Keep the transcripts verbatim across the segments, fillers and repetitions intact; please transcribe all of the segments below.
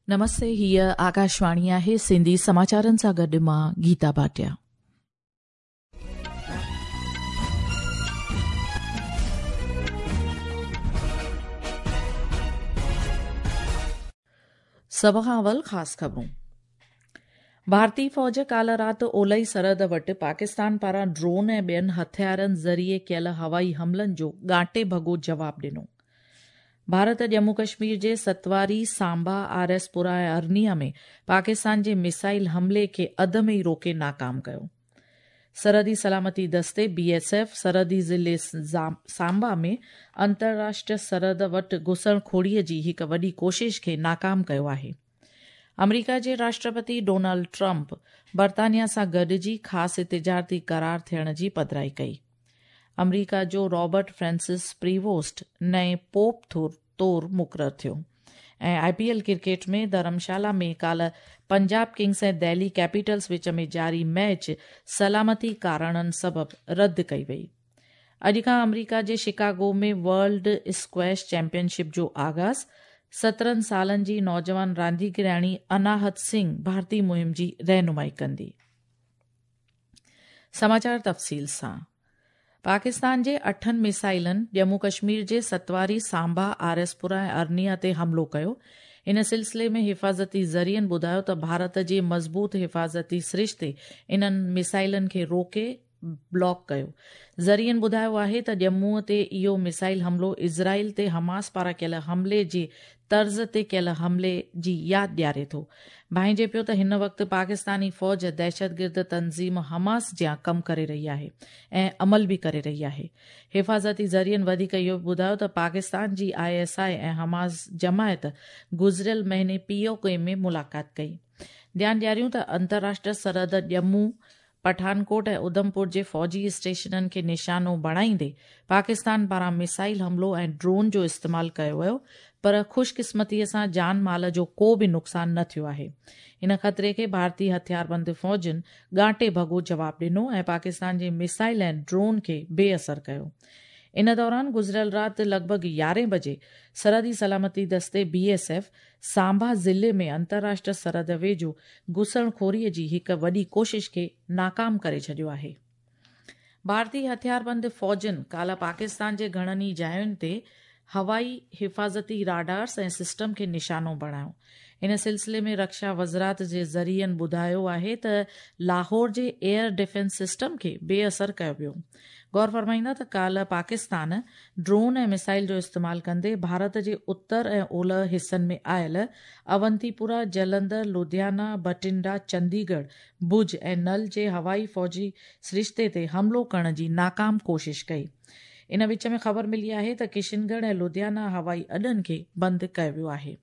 नमस्ते, हीअ आकाशवाणी आहे। सिंधी समाचारनि सां गॾु मां गीता भाटिया। सभ खां अवल ख़ासि ख़बरूं। भारतीय फ़ौज काल्ह राति ओलई सरहद वटि पाकिस्तान पारां ड्रोन ऐं ॿियनि हथियारनि ज़रिए कयल हवाई हमलनि जो ॻांटे भॻो जवाबु ॾिनो। भारत जम्मू कश्मीर जे सतवारी, सांबा, आर एस पुरा ऐं अरनिया में पाकिस्तान जे मिसाइल हमले खे अध में ई रोके नाकाम कयो। सरहदी सलामती दस्ते बी एस एफ सरहदी ज़िले सांबा में अंतर्राष्ट्रीय सरहद वटि घुसणखोरीअ जी हिकु वॾी कोशिश खे नाकाम कयो आहे। अमरीका जे राष्ट्रपति डोनाल्ड ट्रंप बर्तानिया सां गॾिजी ख़ासि तिजारती करार थियण जी पधराई कई। अमरीका जो रॉबर्ट फ्रांसिस प्रीवोस्ट नए पोप तौर मुक़ररु थियो। ऐं I P L cricket में धर्मशाला में काल्ह पंजाब किंग्स ऐं दिल्ली कैपिटल्स विच में जारी मैच सलामती कारणनि सबबि रद्द कई वई। अॼु खां अमरीका जे शिकागो में वर्ल्ड स्क्वैश चैंपियनशिप जो आगाज़। सत्रहं सालनि जी नौजवान रांदीगराणी अनाहत सिंह भारतीय मुहिम जी रहनुमाई कंदी। समाचार तफ़सील सां। पाकिस्तान जे अठनि मिसाइलनि जम्मू कश्मीर जे सतवारी, सांबा, आर एस पुरा ऐं अरनिया ते हमलो कयो। इन सिलसिले में हिफाज़ती ज़रियनि ॿुधायो त भारत जे मज़बूत हिफाज़ती सरिश्ते इन्हनि मिसाइलनि खे रोके ब्लॉक कयो। ज़रियनि ॿुधायो आहे त जम्मूअ ते इहो मिसाइल हमलो इज़राइल ते हमास पारां कयल हमले जे तर्ज़ ते कयल हमले जी यादि ॾियारे थो। भांइजे पियो त हिन वक़्तु पाकिस्तानी फ़ौज दहशतगिर्द तंज़ीम हमास जियां कमु करे रही आहे ऐं अमल बि करे रही आहे। हिफाज़ती ज़रियनि वधीक इहो बि ॿुधायो त पाकिस्तान जी I S I ऐं हमास जमायत गुज़िरियल महीने पी ओ के में मुलाक़ात कई। ध्यानु ॾियारियूं त अंतर्राष्ट्रीय सरहद जम्मू, पठानकोट ऐं उधमपुर जे फ़ौजी स्टेशननि खे निशानो बणाईंदे पाकिस्तान पारां मिसाइल हमलो ऐं ड्रोन जो इस्तेमालु कयो वियो, पर ख़ुशक़िस्मतीअ सां जान माल जो को बि नुक़सानु न थियो आहे। इन ख़तरे खे भारतीय हथियारबंद फ़ौजुनि ॻांटे भॻो जवाबु ॾिनो ऐं पाकिस्तान जे मिसाइल ऐं ड्रोन खे बेअसर कयो। इन दौरान गुज़िरियल राति लॻभॻि यारहें बजे सरहदी सलामती दस्ते बी एस एफ सांबा ज़िले में अंतर्राष्ट्रीय सरहद वेझो घुसणखोरीअ जी हिकु वॾी कोशिश खे नाकाम करे छॾियो आहे। भारतीय हथियारबंद फ़ौजुनि काल्ह पाकिस्तान जे घणनि ई जायुनि ते हवाई हिफाज़ती राडार्स ऐं सिस्टम खे निशानो बणायो। इन सिलसिले में रक्षा वज़ारत जे ज़रियनि ॿुधायो आहे त लाहौर जे एयर डिफेंस सिस्टम खे बेअसर कयो वियो। गौर फरमाईंदा त काल्ह पाकिस्तान ड्रोन ऐं मिसाइल जो इस्तेमालु कंदे भारत जे उत्तर ऐं ओलह हिसनि में आयल अवंतीपुरा, जलंधर, लुधियाना, बठिंडा, चंडीगढ़, भुज ऐं नल जे हवाई फ़ौजी सरिश्ते ते हमलो करण जी नाकाम कोशिश कई। इन विच में ख़बर मिली आहे त किशनगढ़ ऐं लुधियाना हवाई अॾनि खे बंदि कयो वियो आहे।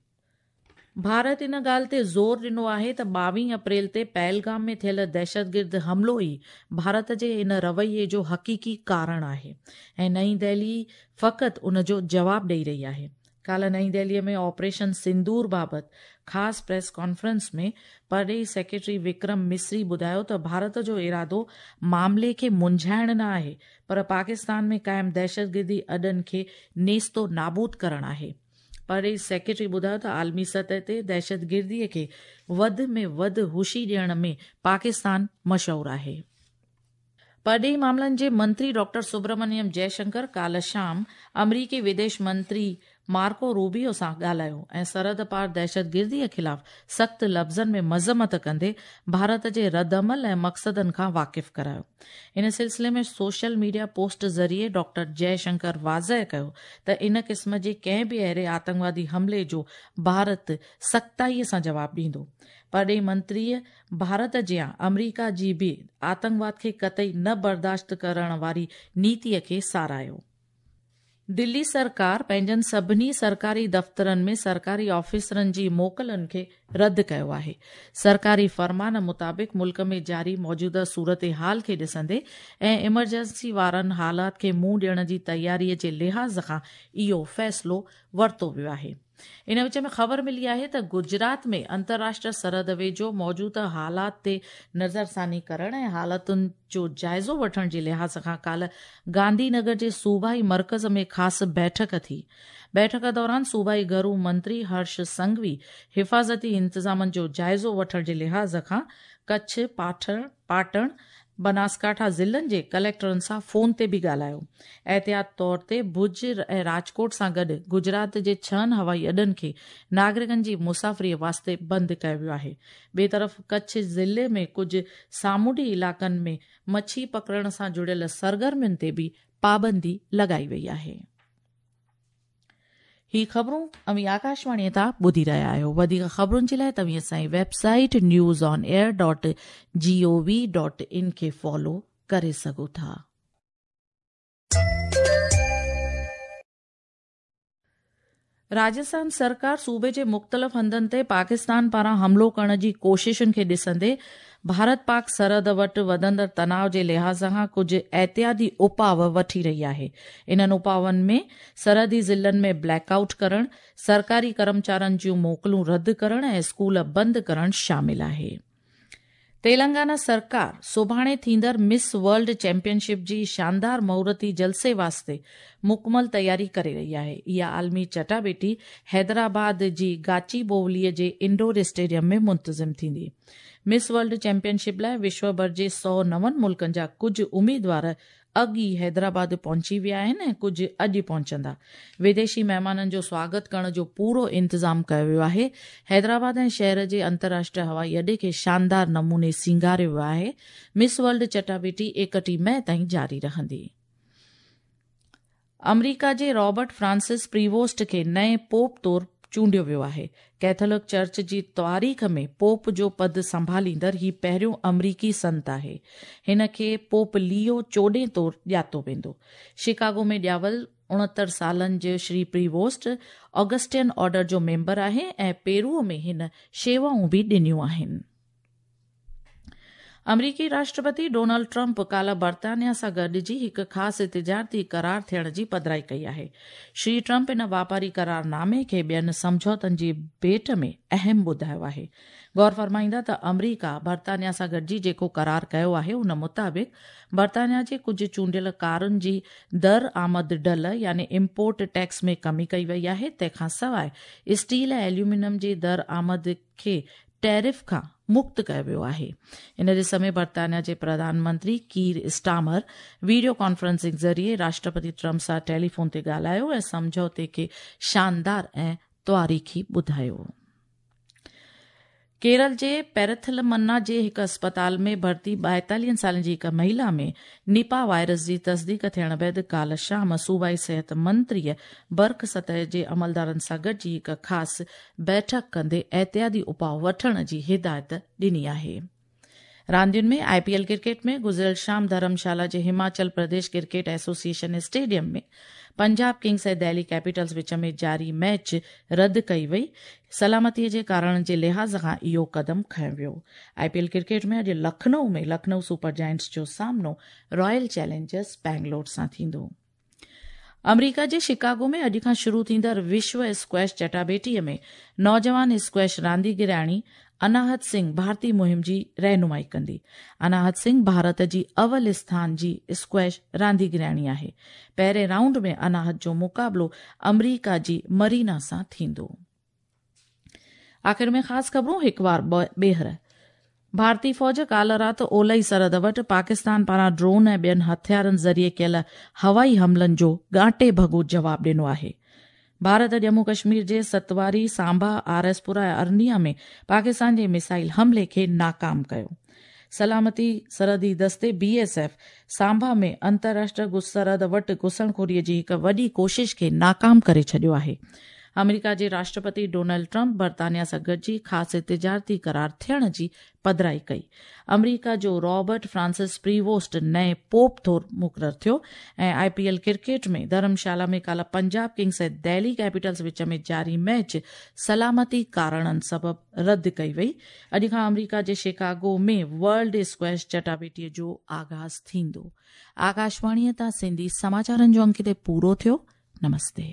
भारत इन ॻाल्हि ते ज़ोर ॾिनो आहे त ॿावीह अप्रैल ते पहलगाम में थियल दहशतगिर्द हमलो ई भारत जे इन रवैये जो हक़ीक़ी कारण आहे ऐं नई दिल्ली फ़क़ति उन जो जवाबु ॾेई रही आहे। काल्ह नई दिल्लीअ में ऑपरेशन सिंदूर बाबति ख़ासि प्रेस कॉन्फ्रेंस में परॾेही सेक्रेटरी विक्रम मिस्री ॿुधायो त भारत जो इरादो मामले खे मुंझाइण न आहे, पर पाकिस्तान में क़ाइमु दहशतगिर्दी अॾनि खे नेस्तो नाबूद करणु आहे। परॾेही सेक्रेटरी ॿुधायो त आलमी सतह ते दहशतगिर्दीअ खे वधि में वधि हुशी ॾियण में पाकिस्तान मशहूरु आहे। परॾेही मामलनि जे मंत्री डॉक्टर सुब्रमण्यम जयशंकर काल्ह शाम अमरीकी विदेश मंत्री मार्को रूबियो सां ॻाल्हायो ऐं सरहद पार दहशतगिर्दीअ ख़िलाफ़ सख़्तु लफ़्ज़नि में मज़म्मत कंदे भारत जे रद्दअमल ऐं मक़सदनि खां वाक़िफ़ करायो। इन सिलसिले में सोशल मीडिया पोस्ट ज़रिए डॉक्टर जयशंकर वाज़ेह कयो त इन क़िस्म जे कंहिं बि अहिड़े आतंकवादी हमले जो भारत सख़्ताईअ सां जवाबु ॾींदो। परॾेही मंत्रीअ भारत जियां अमरीका जी बि आतंकवाद खे कतई न बर्दाश्त करण वारी नीतीअ खे सराहियो। दिल्ली सरकार पंहिंजनि सभिनी सरकारी दफ़्तरनि में सरकारी ऑफिसरनि जी मोकलनि खे रद्द कयो आहे। सरकारी फरमान मुताबिक़ मुल्क में जारी मौजूदा सूरत हाल खे ॾिसंदे ऐं इमरजेंसी वारनि हालात खे मुंहुं ॾियण जी तयारीअ जे लिहाज़ खां इहो फ़ैसिलो वरितो वियो आहे। ان وچ ۾ خبر ملي آهي ته گجرات ۾ انترراشٽريه سرحد ويجهو موجوده حالات تي نظرثاني ڪرڻ ۽ حالتن جو جائزو وٺڻ جي لحاظ کان ڪالهه گانڌي نگر جي صوبائي مرڪز ۾ خاص بيٺڪ ٿي. بيٺڪ دوران صوبائي گهرو منتري هرش سنگهوي حفاظتي انتظامن جو جائزو وٺڻ جي لحاظ کان ڪڇ، پاٺڻ، پاٽڻ، بناسڪاٺا ضلعن جي ڪليڪٽرن سان فون تي به ڳالهايو. احتياط طور تي ڀڄ ۽ راجڪوٽ سان گڏ گجرات جي ڇهن هوائي اڏن کي ناگرڪن جي مسافريء واسطي بند ڪيو ويو آهي. ٻئي طرف ڪڇ ضلعي ۾ ڪجهه سامونڊي علائقن ۾ مڇي پڪڙڻ سان جڙيل سرگرمين تي به پابندي لڳائي وئي آهي. هي خبرون اوهين آڪاشواڻيء تان ٻڌي رهيا آهيو. وڌيڪ خبرن جي لاء توهين اسان جي website news on air dot G O V dot in کي فالو ڪري سگهو ٿا. راجسٿان سرڪار صوبي جي مختلف هنڌن تي پاڪستان پاران حملو ڪرڻ جي ڪوششن کي ڏسندي ڀارت پاڪ سرحد وٽ وڌندڙ تناء جي لحاظ کان ڪجهه احتياطي اپاء وٺي رهي آهي. انهن اپائن ۾ سرحدي ضلعن ۾ بليڪ آئوٽ ڪرڻ، سرڪاري ڪرمچارين جون موڪلون رد ڪرڻ ۽ اسڪول بند ڪرڻ شامل آهي. تيلنگانا سرڪار سڀاڻي ٿيندڙ مس ورلڊ چيمپيئن شپ جي شاندار مهورتي جلسي واسطي مڪمل تياري ڪري رهي آهي. اها عالمي چٽاڀيٽي حيدرآباد جي گاچي بوولي جي انڊور اسٽيڊيم ۾ منتظم ٿيندي. مس ورلڊ چيمپيئن شپ لاء وشو ڀر جي سؤ نون ملڪن جا ڪجهه اميدوار اڳ ئي حيدرآباد پهچي ويا آهن ۽ ڪجهه اڄ پهچندا. وديشي مهمانن جو سواگت ڪرڻ جو پورو انتظام ڪيو ويو آهي. حيدرآباد ۽ شهر جي انترراشٽريه هوائي اڏي کي شاندار نموني سينگاريو ويو آهي. مس ورلڊ چٽاڀيٽي ايڪٽيهه مئي تائين جاري رهندي. آمريڪا جي رابرٽ فرانسس پريووسٽ کي نئين پوپ طور چونڊيو ويو آهي. ڪيٿولڪ چرچ جي تواريخ ۾ پوپ جو پد سنڀاليندڙ هي پهريون آمريڪي سنت آهي. هن کي پوپ ليو چوڏهين طور ڄاتو ويندو. شڪاگو ۾ ڄاول اڻهتر سالن جو شري پريووسٽ آگسٽين آرڊر جو ميمبر آهي ۽ پيرو ۾ هن شيوائون به ڏنيون آهن. آمريڪي راشٽرپتي ڊونلڊ ٽرمپ ڪالهه برطانيا سان گڏجي هڪ خاص تجارتي قرار ٿيڻ جي پڌرائي ڪئي آهي. شري ٽرمپ ان واپاري قرارنامي کي ٻين سمجهوتن جي ڀيٽ ۾ اهم ٻڌايو آهي. غور فرمائيندا ته آمريڪا برطانيا سان گڏجي جيڪو قرار ڪيو آهي ان مطابق برطانيا جي ڪجهه چونڊيل ڪارن جي درآمد ڍل يعني امپورٽ ٽيڪس ۾ ڪمي ڪئي وئي آهي. تنهن کان سواء اسٽيل ۽ ايلومينيم جي درآمد کي ٽيرف کان مڪت ڪيو ويو آهي. ان ڏس ۾ برطانيا جي پرڌان منتري ڪير اسٽامر وڊيو ڪانفرنسنگ ذريعي راشٽرپتي ٽرمپ سان ٽيليفون تي ڳالهايو ۽ سمجهوتي کي شاندار ۽ تواريخي ٻڌايو. ڪيرل جي پيرٿلمنا جي هڪ اسپتال ۾ ڀرتي ٻائيتاليهن سالن جي هڪ مهلا ۾ نپا وائرس جي تصديق ٿيڻ بعد ڪالهه شام صوبائي صحت منتريء برک سطح جي عملدارن سان گڏجي هڪ خاص بيٺڪ ڪندي احتياطي اپاء وٺڻ جي هدايت ڏني آهي. راندين ۾ آء پي ايل ڪرڪيٽ ۾ گذريل شام ڌرمشالا جي Himachal Pradesh cricket association stadium ۾ Punjab kings ۽ Delhi capitals وچ ۾ جاري ميچ رد ڪئي وئي. سلامتي جي ڪارڻن جي لحاظ کان اهو قدم کنيو ويو. آء پي ايل ڪرڪيٽ ۾ اڄ لکنؤ ۾ لکنؤ سپر جائنٽس جو سامنو رائل چئلينجرز بينگلور سان ٿيندو. آمريڪا جي شڪاگو ۾ اڄ کان شروع ٿيندڙ وشو اسڪويش چٽاڀيٽي ۾ نوجوان اسڪويش رانديگرياڻي اناهت سنگهه ڀارتي مهم جي رهنمائي ڪندي. اناهت سنگهه ڀارت جي اول اسٿان جي اسڪويش رانديگرياڻي آهي. پهرين رائونڊ ۾ اناهت جو مقابلو آمريڪا جي مرينا سان ٿيندو. آخر ۾ خاص خبرون هڪ وار ٻيهر. ڀارتي فوج ڪالهه رات اولهي سرحد وٽ پاڪستان پاران ڊرون ۽ ٻين هٿيارن ذريعي ڪيل هوائي حملن جو ڳانٽي ڀڳو جواب ڏنو آهي. ڀارت ڄمون ڪشمير جي ستواري، سانڀا، آر ايس پورا ۽ ارنيا ۾ پاڪستان جي ميزائل حملي کي ناڪام ڪيو. سلامتي سرحدي دستي بي ايس ايف سانڀا ۾ انترراشٽريه سرحد وٽ گهسڻخوري جي هڪ وڏي ڪوشش کي ناڪام ڪري ڇڏيو آهي. آمريڪا جي راشٽرپتي ڊونلڊ ٽرمپ برطانيا سان گڏجي خاص تجارتي قرار ٿيڻ جي پڌرائي ڪئي. آمريڪا جو رابرٽ فرانسس پريووسٽ نئين پوپ طور مقرر ٿيو ۽ آء پي ايل ڪرڪيٽ ۾ ڌرمشالا ۾ ڪالهه پنجاب ڪنگز ۽ دهلي ڪيپيٽلز وچ ۾ جاري ميچ سلامتي ڪارڻن سبب رد ڪئي وئي. اڄ کان آمريڪا جي شڪاگو ۾ ورلڊ اسڪويش چٽاڀيٽي جو آغاز ٿيندو. آڪاشواڻيء تان سنڌي سماچارن جو انڪ هتي پورو ٿيو. نمستي.